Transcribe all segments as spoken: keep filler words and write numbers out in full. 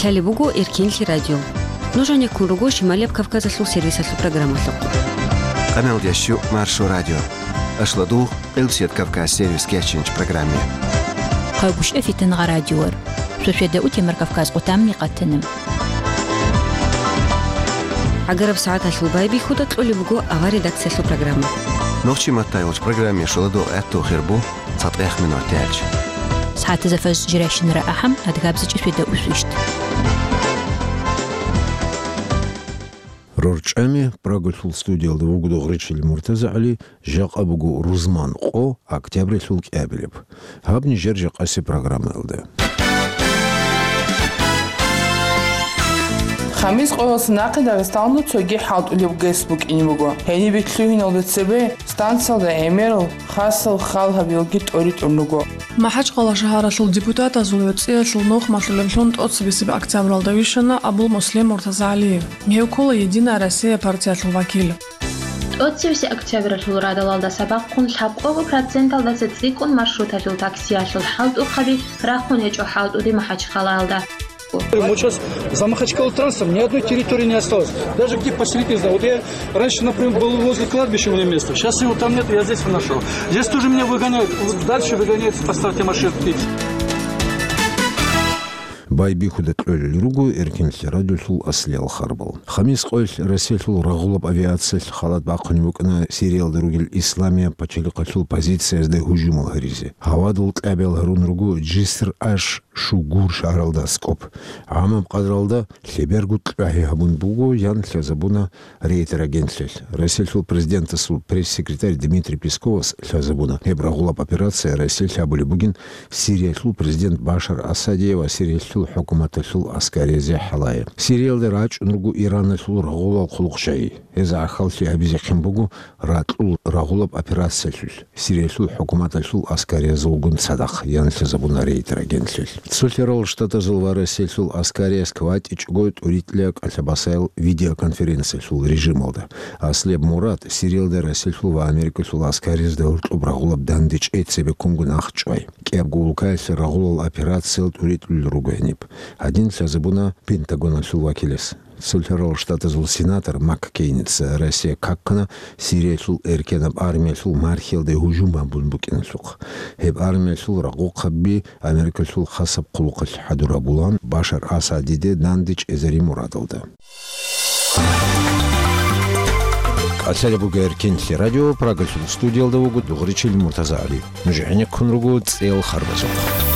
Лъалеб буго Эркенлъи радио. Нуж гӀенеккун руго Шималияб Кавказалъул сервисалъул программалъухъ. Къаналдящу Маршо радио. Ашладугъ Къилбсият Кавказ сервис кечинч программе. Къайгушев Фитангъа радиор. Сосведа утемар Кавказ къутамни къатана. ГӀагараб сагӀаталъул байбихьуда кьолеб буго авар редакциялъул программа. Нохчи маттай вач программе шоладо гӀатту хирбу. ЦатӀех минут тӀелч. СагӀатазда фажр жирайщинара ахӀам, адгабзичӀи светда усвищт. РорчӀами Прагалъул студиялда вуго Дугъричил МуртазагӀали, жакъа буго рузман къо, октябрьлъул кӀиабилеб. Гьаб нижер жакъаси программаялда. Хамис къоялъ нахъе Дагъистаналда цоги хӀалтӀулеб ГЭС букӀине буго. Гьениб лъугьиналда цебе станциялда гӀемерал хасал хал гьабиялги тӀоритӀун руго. МахӀачхъала шагьаралъул депутатазул верцӀиялъул нухмалъулеблъун тӀоцебесеб октябралда вищана Абул-Муслим МуртазагӀалиев. Гьев ккола «Единая Россия» партиялъул вакил. ТӀоцебесеб октябралъул радалалдаса бахъун лъабкъого проценталдаса цӀикӀкӀун маршруталъул таксиялъул хӀалтӀухъаби рахъун гьечӀо хӀалтӀуде МахӀачхъалаялда. Мы сейчас за Махачкалу транспорт ни одной территории не осталось. Даже где поселить не знаю. Вот я раньше, например, был возле кладбища у меня место. Сейчас его там нет, я здесь нашел. Здесь тоже меня выгоняют. Вот дальше выгоняют по старте машинки. Байбихьуда кьолел руго Эркенлъи радиолъул аслиял харбал. Хамис къоялъ Россиялъул рагъулаб авиациялъ халат бахъунеб букӀана Сириялда ругел Исламияб пачалихъалъул позициязда гьужумал гьаризе. Гьавадул кьабиял гьарун руго Джиср аш Шугур шагьаралда аскӀоб. ГӀамаб къадралда лъеберго кьвагьи гьабун буго, ян лъазабуна Рейтер агентлъиялъ. Россиялъул президентасул пресс-секретарь Дмитрий Песковас лъазабуна, гьеб рагъулаб операция Россиялъ гьабулеб бугин Сириялъул президент Башар Асадие ва Сириялъул хӀукуматалъул аскаризе хӀалае. Сириялда рачӀун руго Ираналъул рагъулал хъулухъ шайи. Гьез гӀахьаллъи гьабизехъин буго ракьул рагъулаб операциялъулъ. Сириялъул хӀукуматалъул аскариязулгун цадахъ, ян лъазабуна Рейтер агентлъиялъ. Цолъарал Штатазул ва Россиялъул аскарияс кватӀичӀого тӀуритӀлъи кӀалъабасаял видеоконференциялъул режималда. Аслияб мурад Сириялда Россиялъул ва Америкалъул аскариязда гьоркьоб рагъулаб дандечӀей цебеккунго нахъ чӀвай. КӀиябго улкаялъе рагъулал операциял тӀуритӀулел руго гьениб. Гьадин лъазабуна Пентагоналъул вакилас. Цолъарал Штатазул сенатор МакКейница Россия каккана Сириялъул эркенаб армиялъул мархиялде гьужум гьабун букӀиналъухъ. Гьеб армиялъул рагъухъаби Америкалъул хасаб хъулухъалъ хӀадур гьабулаан Башар Асадиде данде чӀезари мурадалда. КӀалъалеб буго Эркенлъи радио, Прагалъул студиялда вуго Дугъричил МуртазагӀали. Нуж гӀенеккун руго цӀел харбазухъ.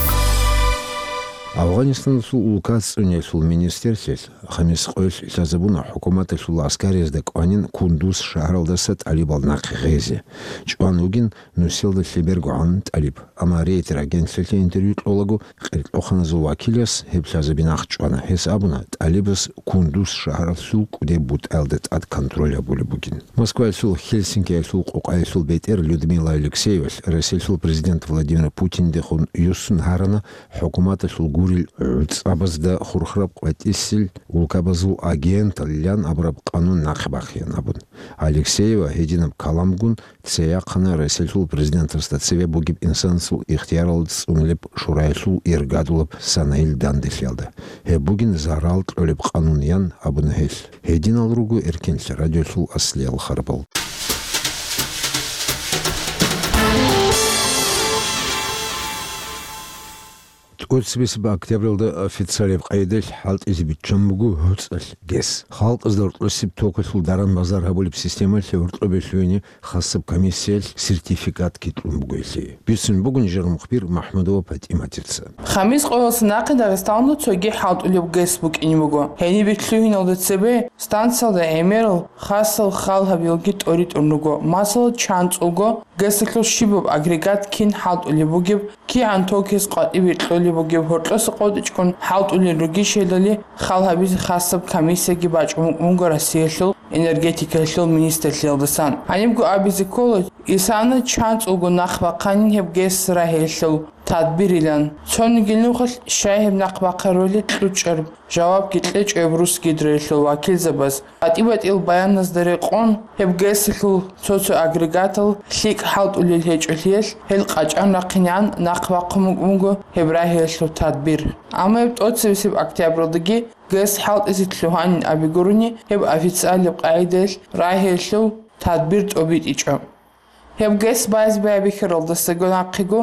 Афгъанистаналъул улка цӀуниялъул министрлъиялъ Хамис къоялъ лъазабуна хӀукуматалъул аскариязда кӀванин Кундуз шагьаралдаса тӀалибал нахъе гъезе. ЧӀван вугин нусиялда лъебергогӀан тӀалиб. Амма Рейтер агентлъиялъе интервью кьолаго, къеркьоханазул вакилас гьеб лъазаби нахъ чӀвана. Гьес абуна, тӀалибас Кундуз шагьаралъул кӀудеб бутӀаялда тӀад контроль гьабулеб бугин. Москваялъул Хельсинкиялъул къукъаялъул бетӀер Людмила Алексеевалъ Россиялъул президент Владимир Путиндехун юссун гьарана хӀукуматалъул гурел гӀуцӀабазда хурхараб къватӀисел улкабазул агентал ян абураб къанун нахъе бахъеян абун. Алексеева гьединаб каламгун цеяхъана Россиялъул президентасда цеве бугеб инсанасул ихтияралда цӀунулеб шураялъул иргадулаб санайил данделъиялда. Гьеб бугин зарал кьолеб къанун, ян абуна гьелъ. Гьединал руго Эркенлъи радиолъул аслиял харбал. ТӀоцебесеб октябралда официалияб къайдалъ хӀалтӀизе биччан буго гьоцӀалъ ГЭС. Халкъазда гьоркьосеб токалъул даран-базар гьабулеб системалъе гьоркьобе лъугьине хасаб комиссиялъ сертификат кьун буго гьелъие. Бицун буго нижер мухбир МахӀмудова ПатӀиматица. Хамис къоялъ нахъе Дагъистаналда цоги хӀалтӀулеб ГЭС букӀине буго. Гьениб лъугьиналда цебе станциялда гӀемерал хасал хал гьабиялги тӀоритӀун руго. Масала, чанцӀулго ГЭСалъул щибаб агрегат кин хӀалтӀулеб бугеб, кигӀан токиялъ къватӀибе кьолеб бугеб, гьоркьоса къотӀичӀгун хӀалтӀулел ругищ гьелдали хал гьабизе хасаб комиссияги бачӀун букӀун буго Россиялъул энергетикалъул министрлъиялдасан. Гьанибго абизе ккола, исана чанцӀулго нахъ бахъанин гьеб ГЭС рагьелъул. тадбирилан. Цониги нухалъ щай гьеб нахъ бахъарулел кьучӀеб жавабги кьечӀо гьеб Русгидроялъул вакилзабаз. БатӀи-батӀиял баяназда рекъон, гьеб ГЭС-алъул цо-цо агрегатал лъикӀ хӀалтӀулел гьечӀолъиялъ, гьел къачӀан рахъинегӀан нахъ бахъун букӀун буго гьеб рагьиялъул тадбир. Амма гьеб тӀоцебесеб октябралдаги ГЭС хӀалтӀизе лъугьанин абигурони, гьеб официалаб къагӀидаялъ рагьиялъул тадбир тӀобитӀичӀо. Гьеб ГЭС базе байбихьаралдасаго нахъего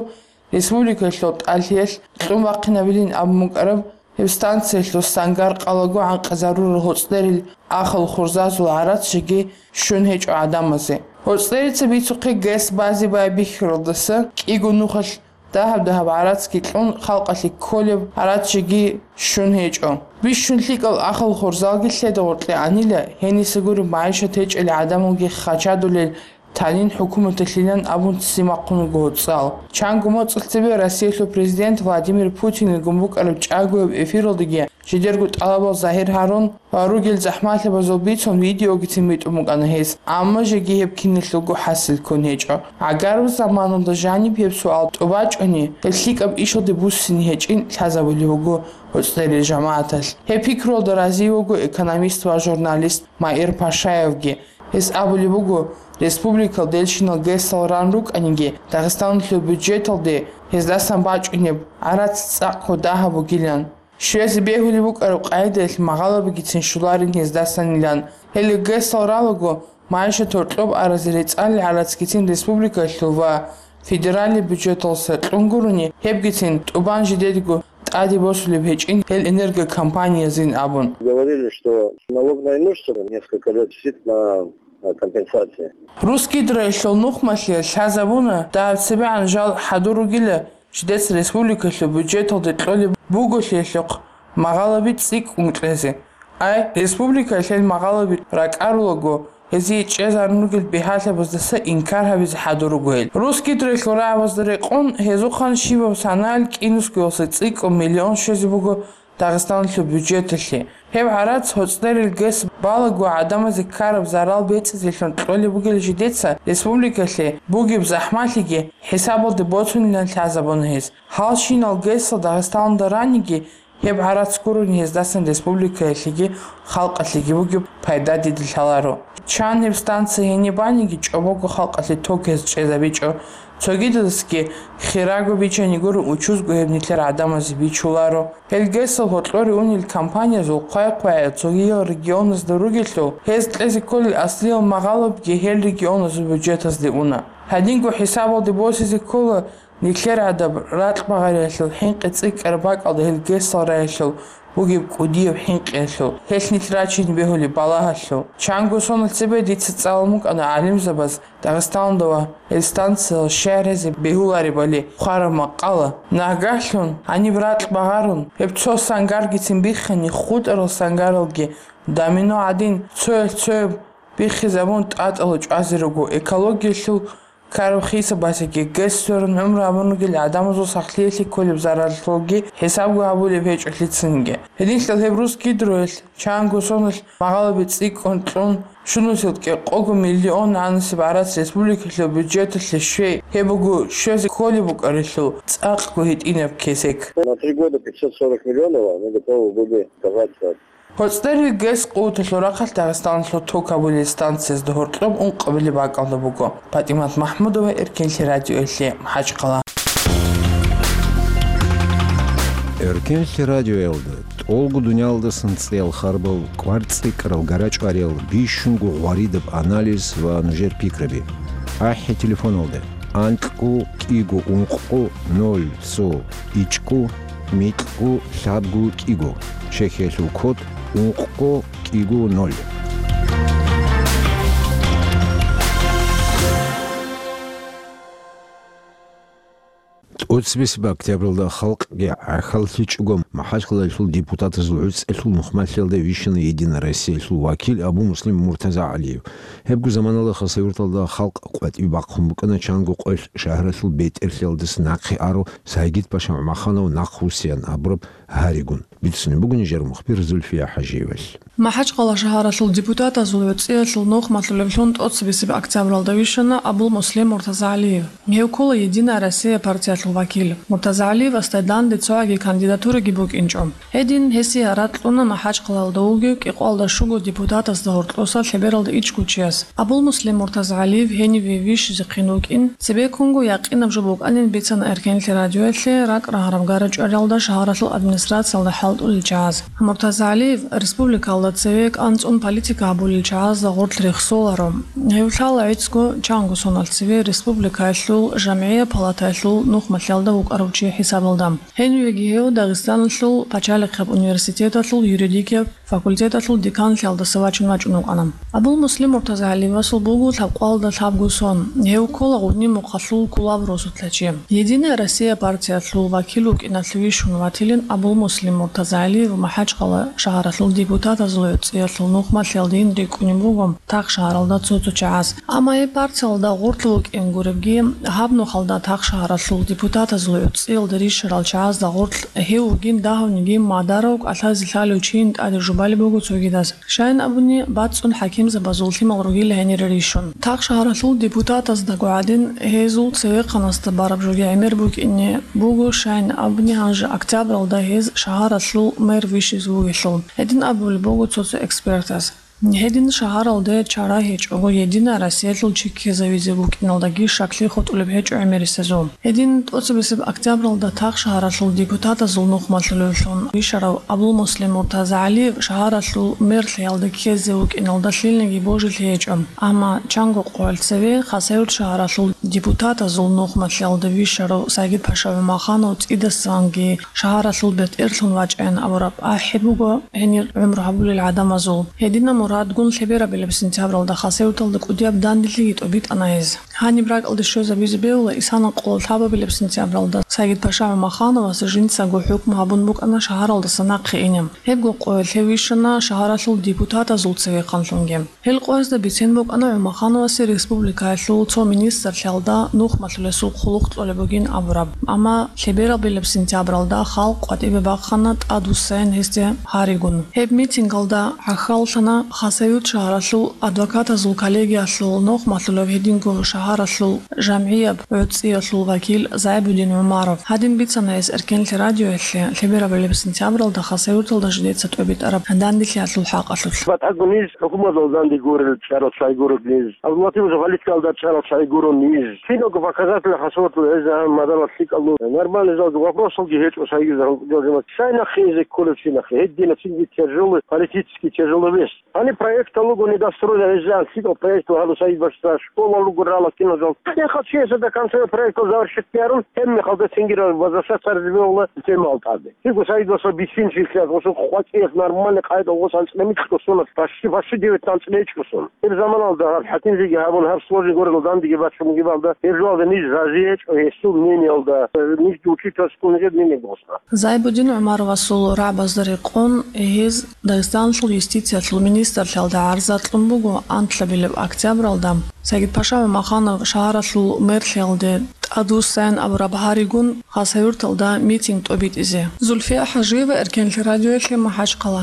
республикаялъул тӀалъиялъ кьун бахъинабилин абун букӀараб, гьеб станциялъул сангар къалаго гӀанкъизарурал гьоцӀлъерил ахал хурзазул гӀарац жеги щун гьечӀо гӀадамазе. ГьоцӀлъерица бицухъе ГЭС базе байбихьаралдаса кӀиго нухалъ дагьаб-дагьаб гӀарацги кьун, халкъалъе кколеб гӀарац жеги щун гьечӀо. Бищун лъикӀал ахал хурзалги лъеда гъоркье анила, гьениса гуреб магӀишат гьечӀел гӀадамалги хачадулел танин хӀукуматалъилан абун ццин бахъун вуго гьоцӀал. Чанго моцӀалъ цебе Россиялъул президент Владимир Путинил гун букӀараб чӀагояб эфиралдаги жидерго тӀалабал загьир гьарун ва ругел захӀмалъабазул бицун видеогицин битӀун букӀана гьес, амма жеги гьеб киналъулго хӀасил ккун гьечӀо. ГӀагараб заманалда жаниб гьеб суал тӀубачӀони, гьеб лъикӀаб ишалде буссине гьечӀин лъазабулеб буго гьоцӀлъерил жамагӀаталъ. Гьеб пикруялда разиявго экономист ва журналист Маир Пашаевги. Гьес абулеб буго, республикал делщинал ГЭС-ал ран рукӀаниги, Дагъистаналъул бюджеталде гьездасан бачӀунеб гӀарац цӀакъго дагьаб бугилан. Щвезе бегьулеб букӀараб къагӀидаялъ магъалабигицин щоларин гьездасанилан. Гьеле ГЭС-ал ралаго, магӀишат гьоркьоб аразе рецӀалел гӀарацгицин республикалъул ва федералил бюджеталса кьун гурони, гьебгицин тӀубан жидедго тӀаде босулеб гьечӀин гьел энергокомпаниязин абун. Говорили, что налог на имущество несколько лет висит на, на компенсации. Русгидроялъул нухмалъе лъазабуна, дагьаб цебегӀан жал хӀадур ругила, жидеца республикалъул бюджеталде кьолеб буголъиялъухъ магъалаби цӀикӀкӀун кьезе. Ай, республикаялъ гьел магъалаби ракӀарулаго, гьезие чӀезарун ругел бигьалъабаздаса инкар гьабизе хӀадур руго гьел. Русгидроялъул рагӀабазда рекъон, гьезухъан щибаб санаялъ кӀинусгоялса цӀикӀкӀун миллион щвезе буго Дагъистаналъул бюджеталъе. Гьеб гӀарац гьоцӀлъерил ГЭС балаго гӀадамазе ккараб зарал бецӀизелъун кьолеб бугел жидеца республикалъе бугеб захӀмалъиги хӀисабалде боцунилан лъазабуна гьез. Гьалщинал ГЭС-ал Дагъистаналда раниги, гьеб гӀарац гурони гьездасан республикаялъеги халкъалъеги бугеб пайда дида лъаларо. Чан гьеб станция гьениб баниги, чӀобого халкъалъе ток гьез чӀезабичӀо. Цогидасги хирого бичани гуро, учузго гьеб нилъер гӀадамазе бичуларо. Гьел ГЭС-ал гьоркьоре унел компаниязул хъвай-хъвайел цогиял регионазда ругелъул, гьез кьезе кколел аслиял магъалабги гьел регионазул бюджетазде уна. Гьадинго хӀисабалде босизе ккола, нилъер гӀадаб ракь багъариялъул хӀинкъи цӀикӀкӀараб бакӀалда гьел ГЭС-ал раялъул бугеб кӀудияб хӀинкъиялъул, гьелъ нилъ рачине бегьулеб балагьалъул. Чанго соналъ цебе дица цӀалун букӀана гӀалимзабаз Дагъистаналда ва гьел станциял щай гьезе бегьуларебали хъвараб макъала. Нагагьлъун гьаниб ракь багъарун, гьеб цо сангаргицин биххани, хутӀарал сангаралги домино гӀадин, цоялъ цояб биххизабун, тӀатӀала чӀвазе руго. Экологиялъул ккараб хисабалъеги, ГЭС сверун гӀумру гьабун ругел гӀадамазул сахлъиялъе кколеб зараллъулги хӀисабго гьабулеб гьечӀо лъицаниги. Гьединлъидал гьеб Русгидроялъ чанго соналъ магъалаби цӀикӀкӀун кьун, щунусел кӀикъого миллион гӀанасеб гӀарац республикалъул бюджеталъе щвей, гьеб буго щвезе кколеб букӀарелъул цӀакъго гьитӀинаб кесек. На три года пятьсот сорок миллионов мы готовы были отказаться. ГьоцӀерил ГЭС къуваталъул рахъалъ Дагъистаналъул ток гьабулел станциязда гьоркьоб ункъабилеб бакӀалда буго. ПатӀимат МахӀмудова, Эркенлъи радиоялъе, МахӀачхъала. Эркенлъи радиоялда тӀолго дуниялдасан цӀеял харбал, кӀвар цӀикӀкӀарал, гара чӀвариял, бищунго гъваридаб анализ ва нужер пикраби. АхӀи телефоналда: анкьго кӀиго ункъго ноль цо ичӀго микьго лъабго кӀиго, чехиялъул код ункъго кӀиго ноль. ТӀоцебесеб октябралда халкъги гӀахьаллъичӀого, МахӀачхъалаялъул депутатазул гӀуцӀелъул нухмалъиялда вищана Единая Россиялъул вакил Абу-Муслим МуртазагӀалиев. Гьебго заманалда Хасавюрталда халкъ къватӀибе бахъун букӀана чанго къоялъ шагьаралъул бетӀерлъиялдаса нахъе арав Сагид-паша ГӀумаханов нахъвуссеян абураб гьаригун. Бицунеб буго нижер мухбир Зульфия ХӀажиевалъ. МахӀачхъала шагьаралъул депутатазул гӀуцӀиялъул нухмалъулевлъун тӀоцебесеб октябралда вищана Абул-Муслим Муртазагьалиев. Гьев ккола «Единая Россия» партиялъул вакил. Муртазагьалиевасда данде цогӀаги кандидатураги букӀинчӀо. Гьедин гьесие гьаракь кьуна МахӀачхъалалда вугев кӀикъоялда щуго депутатасда гьоркьоса лъебералда ичӀго чияс. Абул-Муслим Муртазагьалиев гьениве вищизехъин вукӀин, цебеккунго якъинаб жо букӀанин бицана Эркенлъи радиоялъе ракӀ рагьараб гарачӀвариялда шагьаралъул администрациялда хӀалтӀулел чагӀаз. Муртазагьалиев республикалда цеве кӀанцӀун политика гьабулел чагӀазда гъорлъ рехсоларо. Гьев лъала гӀицӀго чанго соналъ цеве республикаялъул жамгӀия палатаялъул нухмалъиялда вукӀарав чи хӀисабалда. Гьенивеги гьев Дагъистаналъул пачалихъаб университеталъул юридикияб факультеталъул деканлъиялдаса вачун вачӀун вукӀана. Абул-Муслим Муртазагьалиевасул буго лъабкъоялда лъабго сон. Гьев ккола Гъудни-Мухъалъул кколаб росулъа чи. «Единая Россия» партиялъул вакил вукӀиналъуве щун ватилин Абул-Муслим Муртазагьалиев МахӀачхъала шагьаралъул депутатазул гӀуцӀиялъул нухмалъиялдейин рикӀкӀунеб буго тахшагьаралда цо-цо чагӀаз. Амма гьеб партиялда гъорлъ вукӀин гуребги, гьаб нухалда тахшагьаралъул депутатазул гӀуцӀиялда рищарал чагӀазда гъорлъ гьев вугин дагьавниги мадарав кӀалъазе лъалев чийин тӀаде жубалеб буго цогидаз. Щайин абуни, бацӀцӀун хӀакимзабазул лъимал ругила гьенире рищун. Тахшагьаралъул депутатаздаго гӀадин, гьезул цевехъанасда бараб жоги гӀемер букӀине буго, щайин абуни, гьанже октябралда гьез шагьаралъул мэр вищизе вугелъул. Гьедин абулеб буго цо-цо экспертаз. Гьедин шагьаралде чара гьечӀого, «Единая Россиялъул» чи ккезавизе букӀиналдаги щаклъи хутӀулеб гьечӀо гӀемерисезул. Гьедин тӀоцебесеб октябралда тахшагьаралъул депутатазул нухмалъулевлъун вищарав Абул-Муслим Муртазагьалиев шагьаралъул мерлъиялде ккезе вукӀиналда лъилниги божилъи гьечӀо. Амма чанго къоялъ цеве Хасавюрт шагьаралъул депутатазул нухмалъиялда вищарав Сагид-паша ГӀумаханов цӀидасан-, цӀидасанги шагьаралъул бетӀерлъун вачӀайин абураб ахӀи буго гьенир гӀумру гьабулел гӀадамазул. Гьединаб мурадгун лъеберабилеб сентябралда Хасавюрталда кӀудияб данделъиги тӀобитӀана гьез. Гьаниб ракӀалде щвезабизе бегьула исана къоло лъабабилеб сентябралда Сагид-паша ГӀумахановасе жинцаго хӀукму гьабун букӀана шагьаралдаса нахъе ине. Гьебго къоялъ гьев вищана шагьаралъул депутатазул цевехъанлъунги. Гьел къоязда бицен букӀана ГӀумахановасе республикаялъул цо министрлъиялда нухмалъулесул хъулухъ кьолеб бугин абураб. Амма лъеберабилеб сентябралда халкъ къватӀибе бахъана тӀадвуссайин гьесде гьаригун. Гьеб митингалда гӀахьаллъана Хасавюрт шагьаралъул адвокатазул коллегиялъул нухмалъулев, гьединго шагьаралъул жамгӀияб гӀуцӀиялъул вакил Зайбудин ГӀумаров. Гьадин бицана гьес Эркенлъи радиоялъе лъеберабилеб сентябралда Хасавюрталда жидеца тӀобитӀараб данделъиялъул хӀакъалъулъ. БатӀаго ниж хӀукуматалда данде гурел чӀарал щай гурел ниж. Абдуллатипов политикалда чӀарал щай гурел ниж. Киналго показатель хасаватал гьезегьан мадалал лъикӀалу. Нормальный залги вопросалги гьечӀо сайги загьал кӀудиял жамаат. Щай нахъе эзе кколев чи нахъе? Гьедина цинги тяжелый, политически тяжелый вещь. Гьаниб проектал руго недостройно гьезегьан лъикӀал проект ва гьалу сайги башса школа руго рала киналжал. Гьехъа чияса до конца проектал завершить ярун, гьеб мехалда цинги возвращаться гьаризбе вала темал тӀаде. Гьеб сайги башса бицинчи лъаз, гъосул къватӀиялъ нормальный къайда гъос анцӀила микьго сунат, почти, почти девять анцӀила ичӀго сун. Гьеб заманалда гьаб хӀакимзеги гьабун, гьаб сложный горел дандеги бачун бугебалда, гьеб жоялда ниж рази гьечӀо гьесул мнениялда, ниж учительского мнение гьосна. Зайбудин ГӀумаровасул рагӀабазда рекъон, гьез Дагъистаналъул юстициялъул министрлъиялда гӀарза кьун буго анлъабилеб октябралда, Сагид-паша ГӀумаханов шагьаралъул мерлъиялде тӀадвуссайин абураб гьаригун Хасавюрталда митинг тӀобитӀизе. Зульфия ХӀажиева, Эркенлъи радиоялъе, МахӀачхъала.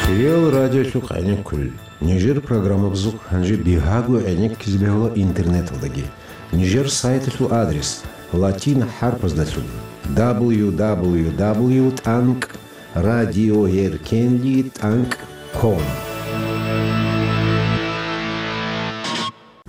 Кирил радиолъухъ гӀенеккулел. Нижер программабазухъ гьанже бигьаго гӀенеккизе бегьула интернеталдаги. Нижер сайталъул адрес латин хӀарпаздалъун: www тӀанкӀ радиоэркенли тӀанкӀ ком.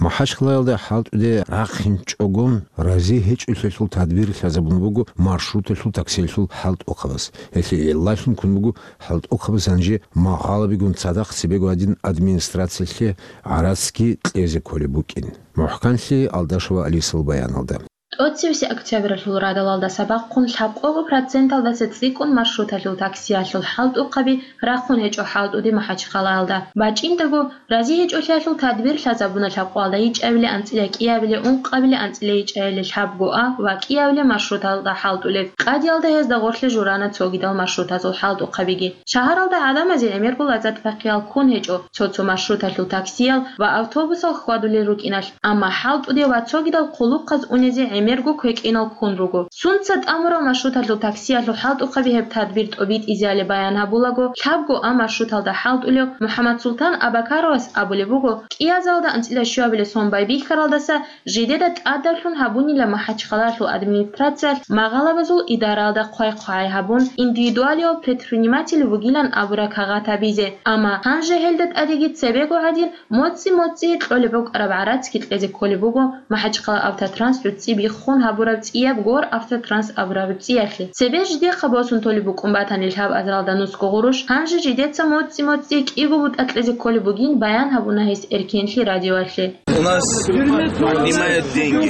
МахӀачхъалаялда хӀалтӀуде рахъинчӀого рази гьечӀолъиялъул тадбир лъазабун буго маршруталъул таксиялъул хӀалтӀухъабаз. Гьелъие гӀиллалъун ккун буго хӀалтӀухъабаз гьанже магъалабигун цадахъ цебего гьадин администрациялъе гӀарацги кьезе кколеб букӀин. МухӀканлъи Алдашева Алисал баяналда. ТӀоцевесеб октябралъул радалалдаса бахъун лъабкъого проценталдаса цӀикӀкӀун маршруталъул таксиялъул хӀалтӀухъаби рахъун гьечӀо хӀалтӀуде МахӀачхъалаялда. БачӀиндаго, рази гьечӀолъиялъул тадбир лъазабуна лъабкъоялда ичӀабилеб анцӀила кӀиабилеб, ункъабилеб анцӀила ичӀабилеб лъабго А ва кӀиабилеб маршруталда хӀалтӀулеб. Къадиялда гьезда гъорлъе журана цогидал маршрутазул хӀалтӀухъабиги. Шагьаралда гӀадамазе гӀемерго лаззат-бахъиял ккун гьечӀо цо-цо маршруталъул таксиял ва автобусал хьвадулел рукӀиналъ, амма хӀалтӀуде ва цогидал хъулухъаз унезе гӀемер квекӀинал ккун руго. Сунца тӀамурал маршруталъул таксиялъул хӀалтӀухъаби гьеб тадбир тӀобитӀизеали баян гьабулаго, лъабго А маршруталда хӀалтӀулев МухӀаммадсултан Абакаровас абулеб буго, кӀиазалда анцӀила щуабилеб сон байбихьаралдаса жидеда тӀадавлъун гьабунила МахӀачхъалалъул администрациялъ магъалабазул идаралда хъвай-хъвагӀай гьабун, индивидуалияб предприниматель вугилан абураб кагъат гьабизе. Амма гьанже гьелда тӀадеги цебего гӀадин, моцӀи-моцӀи кьолеб букӀараб гӀарацги кьезе кколеб буго, МахӀачхъала Автотранс гӀуцӀи биххун гьабураб цӀияб Гор Автотранс абураб цӀиялъе. Цебе жидехъа босун толеб букӀун батани лъабазаралда нусго гъурущ, гьанже жидеца моцӀи-моцӀи кӀиго бутӀа кьезе кколеб бугин баян гьабуна гьес Эркенлъи радиоялъе. У нас отнимают деньги.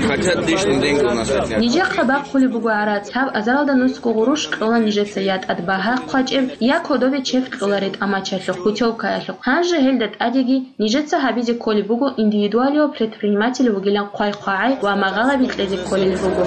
Хотят лишние деньги у нас отнять. Нижехъа бахъулеб буго гӀарац, лъабазаралда нусго гъурущ кьола нижеца я тӀад багьа хъвачӀеб, я кодобе чек кьола ретӀа-мачалъухъ, путёвкаялъухъ. Гьанже гьелда тӀадеги нижеца гьабизе кколеб буго индивидуалияб предприниматель вугилан хъвай-хъвагӀай ва магъалаби кьезе кколел руго.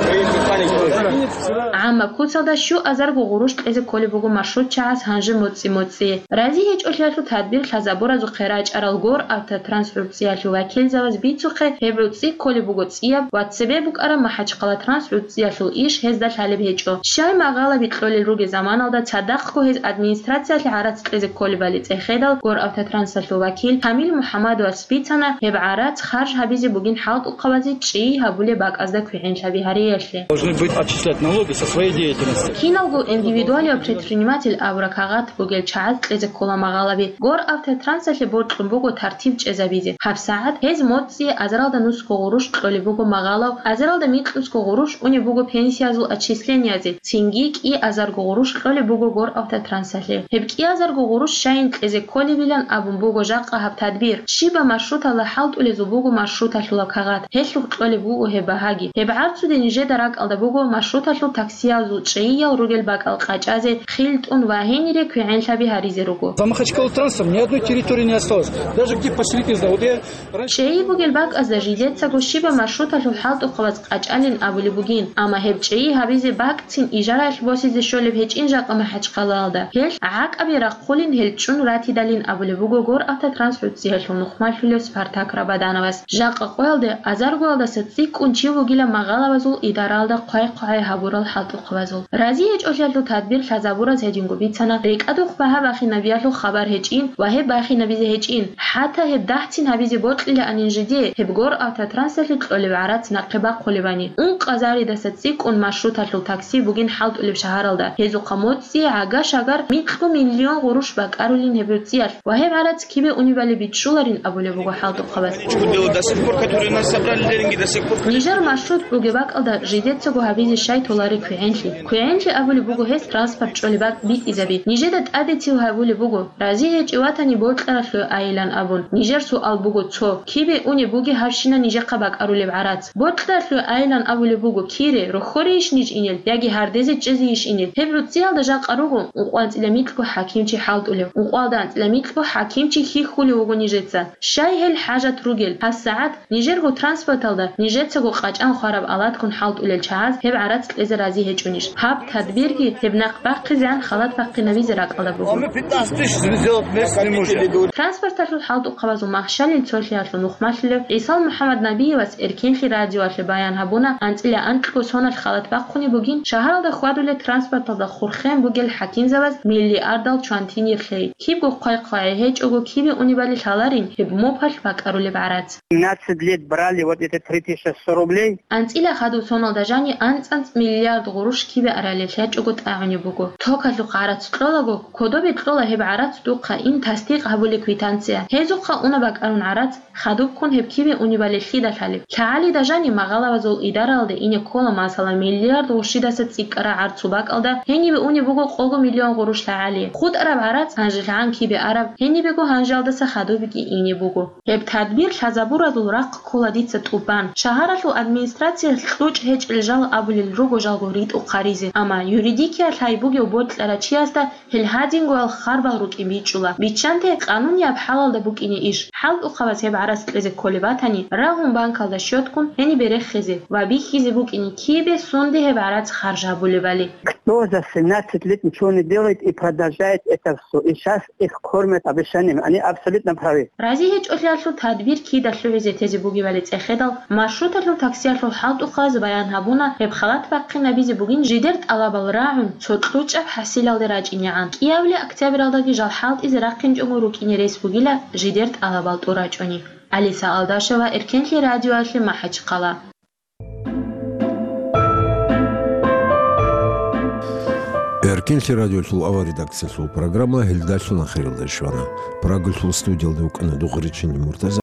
ГӀаммаб куцалда щуазарго гъурущ кьезе кколеб буго маршрутчагӀаз гьанже моцӀи-моцӀи. Рази гьечӀолъиялъул тадбир лъазабуразухъе рачӀарал Гор Автотранс гӀуцӀиялъул вакилзабаз бицухъе, гьеб гӀуцӀи кколеб буго цӀияб ва цебе букӀараб МахӀачхъала Транс гӀуцӀиялъул иш гьезда лъалеб гьечӀо. Щай магъалаби кьолел ругел заманалда цадахъго гьез администрациялъе гӀарац кьезе кколебали цӀехедал, Гор Автотрансалъул вакил Камил МухӀаммадовас бицана, гьеб гӀарац харж гьабизе бугин хӀалтӀухъабазе чӀей гьабулеб бакӀазда квегӀенлъаби гьариялъе. Должны быть отчислять налоги со своей деятельности. Киналго индивидуалияб предприниматель абураб кагъат бугел чагӀаз кьезе ккола магъалаби. Гор Автотрансалъе бокьун буго тартиб чӀезабизе. ГьабсагӀат гьез моцӀи азаралда нусго гъурущ кьолеб буго магъалав, азаралда микьнусго гъурущ унеб буго пенсиязул отчислениезе, цинги кӀиазарго гъурущ кьолеб буго Гор Автотрансалъе. Гьеб кӀиазарго гъурущ щайин кьезе кколебилан абун буго жакъа гьаб тадбир. Щибаб маршруталда хӀалтӀулезул буго маршруталъулаб кагъат, гьелъухъ кьолеб буго гьеб багьаги. Гьеб гӀарцуде нижеда ракӀалда буго маршруталъул таксиязул чӀейиял ругел бакӀал къачӀазе, хил тӀун ва гьенире квегӀенлъаби гьаризе руго. За Махачкалу трансом ни одной территории не осталось. Даже где поселить не знаю. Вот я раньше ЧӀейи бугел бакӀазда жидецаго щибаб маршруталъул хӀалтӀухъабаз къачӀалин абулеб бугин, амма гьеб чӀейи гьабизе бакӀцин ижараялъ босизе щолеб гьечӀин жакъа МахӀачхъалаялда. Гьелъ гӀакӀаби рахъулин гьел чӀун ратидалин абулеб буго Гор Автотранс гӀуцӀиялъул нухмалъулев Спартак Рабадановас. Жакъа къоялде азаргоялдаса цӀикӀкӀун чи вугилан магъалабазул идаралда хъвай-хъвагӀай гьабурал хӀалтӀухъабазул. Рази гьечӀолъиялъул тадбир лъазабураз гьединго бицана, рекӀадухъ багьа бахинабиялъул хабар гьечӀин ва гьеб бахинабизе гьечӀин. ХӀатта гьеб дагьцин гьабизе бокьилаанин жиде, гьеб Гор Автотрансалъе кьолеб гӀарац нахъе бахъулебани. Ункъазаридаса цӀикӀкӀун маршруталъул такси бугин хӀалтӀулеб шагьаралда. Гьезухъа моцӀи гӀага-шагар микьго миллион гъурущ бакӀарулин гьеб гӀуцӀиялъ. Ва гьеб гӀарац кибе унебали бичӀчӀуларин абулеб буго хӀалтӀухъабаз. Чукудела до сих пор, которые нас забрали деньги, до сих пор. Нижер маршрут бугеб бакӀалда жидецаго гьабизе щай толари квегӀенлъи. КвегӀенлъи абулеб буго гьес транспорт чӀолеб бакӀ битӀизаби. Нижеда тӀаде цив гьабулеб буго, рази гьечӀев ватани бокьаралъуе айилан абун. Нижер суал буго цо: кибе унеб бугеб гьабщина нижехъа бакӀарулеб гӀарац? Бокьаралъуе айилан абулеб буго кире, рохьорейищ ниж инел, яги гьардезе чӀезейищ инел? Гьеб гӀуцӀиялда жакъа руго ункъоанцӀила микьго хӀакимчи хӀалтӀулев. Ункъоялда анцӀила микьго хӀакимчи хьихьулев вуго нижеца. Щай гьел хӀажат ругел? ГьабсагӀат нижерго транспорталда нижецаго къачӀан хвараб алатгун хӀалтӀулел чагӀаз гьеб гӀарац кьезе рази гьечӀонищ? Гьаб тадбирги гьеб нахъ бахъизеан халат бахъинабизе ракӀалда буго. А мы пятнадцать тысяч везёт вместе не можем. Транспорталъул хӀалтӀухъабазул махщалил цолъиялъул нухмалъулев ГӀисал МухӀаммаднабиевас Эркенлъи радиоялъе баян гьабуна, анцӀила анкьго соналъ халат бахъунеб бугин, шагьаралда хьвадулел транспорталда хурхен бугел хӀакимзабаз миллиардал чвантинир лъей. Кибго хъвай-хъвагӀи гьечӀого кибе унебали лъаларин гьеб мопалъ бакӀарулеб гӀарац. Семнадцать лет брали вот это три тысячи сто рублей. АнцӀила хадув соналда жани анцӀ-анцӀ миллиард гъурущ кибе аралел лъачӀого тӀагӀунеб буго. Токалъухъ гӀарац кьолаго, кодобе кьола гьеб гӀарац духъа ин тасдикъ гьабулеб квитанция. Гьезухъа уна бакӀарун гӀарац, хадубккун гьеб кибе унебали лъида лъалеб. ЛъагӀалида жани магъалабазул идаралде ине ккола, масала, миллиард гъущидаса цӀикӀкӀараб гӀарцул бакӀалда гьенибе унеб буго къого миллион гъурущ лъагӀали. ХутӀараб гӀарац гьанжелъагӀан кибе араб, гьенибего гьанжалдаса хадубги ине буго. Гьеб тадбир лъазабуразул рахъ ккола дица тӀубан. Шагьаралъул администрациялъ кьучӀ гьечӀел жал абулел руго жалго ритӀухъ гьаризе, амма юридикиялъ гьай бугев бокьарав чиясда гьел гьадингоял харбал рукӀин бичӀчӀула. Биччанте къанунияб хӀалалда букӀине иш. ХӀалтӀухъабаз гьеб гӀарац кьезе кколеб батани, рагьун банкалда счёткун гьенибе рехизе ва бихьизе букӀине кибе сунде гьеб гӀарац харж гьабулебали. Кто за семнадцать лет ничего не делает и продолжает это всё? И щас их кормят обещаниями. Они абсолютно правы. Рази гьечӀолъиялъул тадбир кида лъугӀизе тезе бугебали цӀехедал, маршруталъул таксиялъул хӀалтӀухъаз баян гьабуна, гьеб халат бахъинабизе бугин жидер тӀалабал рагӀун, цо кьучӀаб хӀасилалде рачӀинегӀан. КӀиабилеб октябралдаги жал хӀалтӀизе рахъинчӀого рукӀине рес бугила жидер тӀалабал тӀурачӀони. Алиса Алдашева, Эркенлъи радиоялъе, МахӀачхъала. Эркенлъи радиолъул авар редакциялъул программа гьелдалъун ахиралде щвана. Прагалъул студиялда вукӀана Дугъричин Муртаза.